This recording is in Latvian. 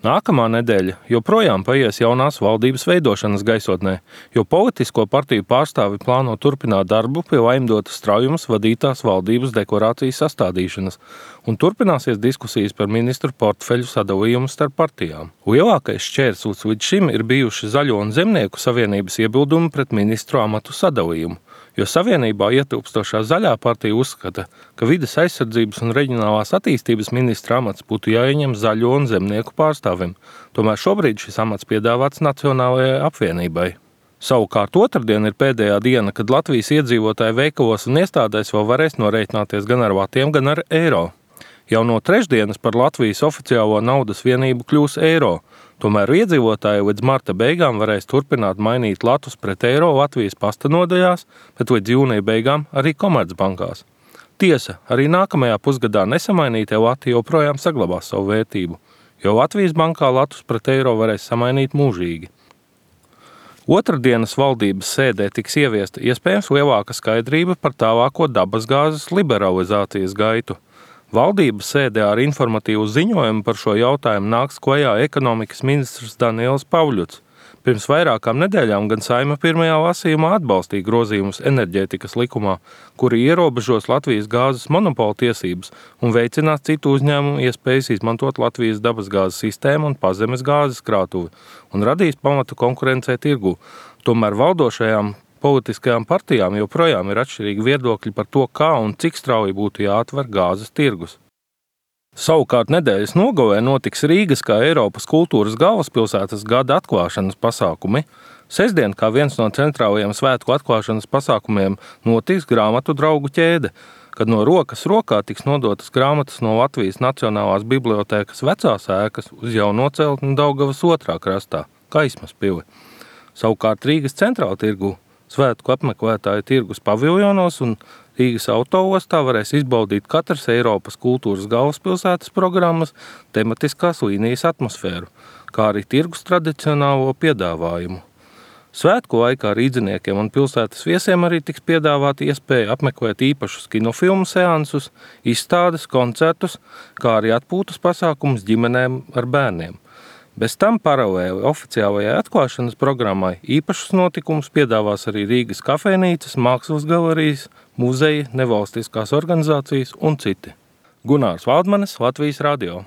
Nākamā nedēļa joprojām paies jaunās valdības veidošanas gaisotnē, jo politisko partiju pārstāvi plāno turpināt darbu pie Laimdotas Straujumas vadītās valdības deklarācijas sastādīšanas un turpināsies diskusijas par ministru portfeļu sadalījumu starp partijām. Lielākais šķērslis līdz šim ir bijuši Zaļo un Zemnieku savienības iebildumi pret ministru amatu sadalījumu, jo savienībā ietilpstošā Zaļā partija uzskata, ka vides aizsardzības un reģionālās attīstības ministra amats būtu jāieņem Zaļo un Zemnieku pārstāvim. Tomēr šobrīd šis amats piedāvāts Nacionālajai apvienībai. Savukārt otrdien ir pēdējā diena, kad Latvijas iedzīvotāji veikalos un iestādēs vēl varēs norēķināties gan ar vatiem, gan ar eiro. Jau no trešdienas par Latvijas oficiālo naudas vienību kļūs eiro. Tomēr iedzīvotāji līdz marta beigām varēs turpināt mainīt latus pret eiro Latvijas pasta nodaļās, bet līdz jūnija beigām arī Komercbankās. Tiesa, arī nākamajā pusgadā nesamainītie lati joprojām saglabās savu vērtību, jo Latvijas bankā latus pret eiro varēs samainīt mūžīgi. Otrdienas valdības sēdē tiks ieviesta iespējams lielāka skaidrība par tālāko dabasgāzes liberalizācijas gaitu. Valdības sēdē ar informatīvu ziņojumu par šo jautājumu nāks klajā ekonomikas ministrs Daniels Pavļuts. Pirms vairākām nedēļām gan Saeima pirmajā lasījumā atbalstīja grozījumus enerģētikas likumā, kuri ierobežos Latvijas gāzes monopola tiesības un veicinās citu uzņēmumu iespējas izmantot Latvijas dabasgāzes sistēmu un pazemes gāzes krātuvi un radīs pamatu konkurencē tirgu. Tomēr valdošajām politiskajām partijām joprojām ir atšķirīgi viedokļi par to, kā un cik strauji būtu jāatver gāzes tirgus. Savukārt nedēļas nogalē notiks Rīgas kā Eiropas kultūras galvaspilsētas gada atklāšanas pasākumi. Sestdien, kā viens no centrālajiem svētku atklāšanas pasākumiem, notiks grāmatu draugu ķēde, kad no rokas rokā tiks nodotas grāmatas no Latvijas Nacionālās bibliotēkas vecās ēkas uz jauno celtni Daugavas otrā krastā, Kaismas pili. Savukārt Rīgas centrāla tirgu svētku apmeklētāju tirgus paviljonos un Rīgas autoostā varēs izbaudīt katras Eiropas kultūras galvaspilsētas programmas tematiskās līnijas atmosfēru, kā arī tirgus tradicionālo piedāvājumu. Svētku laikā rīdziniekiem un pilsētas viesiem arī tiks piedāvāta iespēja apmeklēt īpašus kinofilmu seansus, izstādes, koncertus, kā arī atpūtas pasākumus ģimenēm ar bērniem. Bez tam paralēli oficiālajai atklāšanas programmai īpašus notikumus piedāvās arī Rīgas kafejnīcas, mākslas galerijas, muzeji, nevalstiskās organizācijas un citi. Gunārs Valdmanis, Latvijas radio.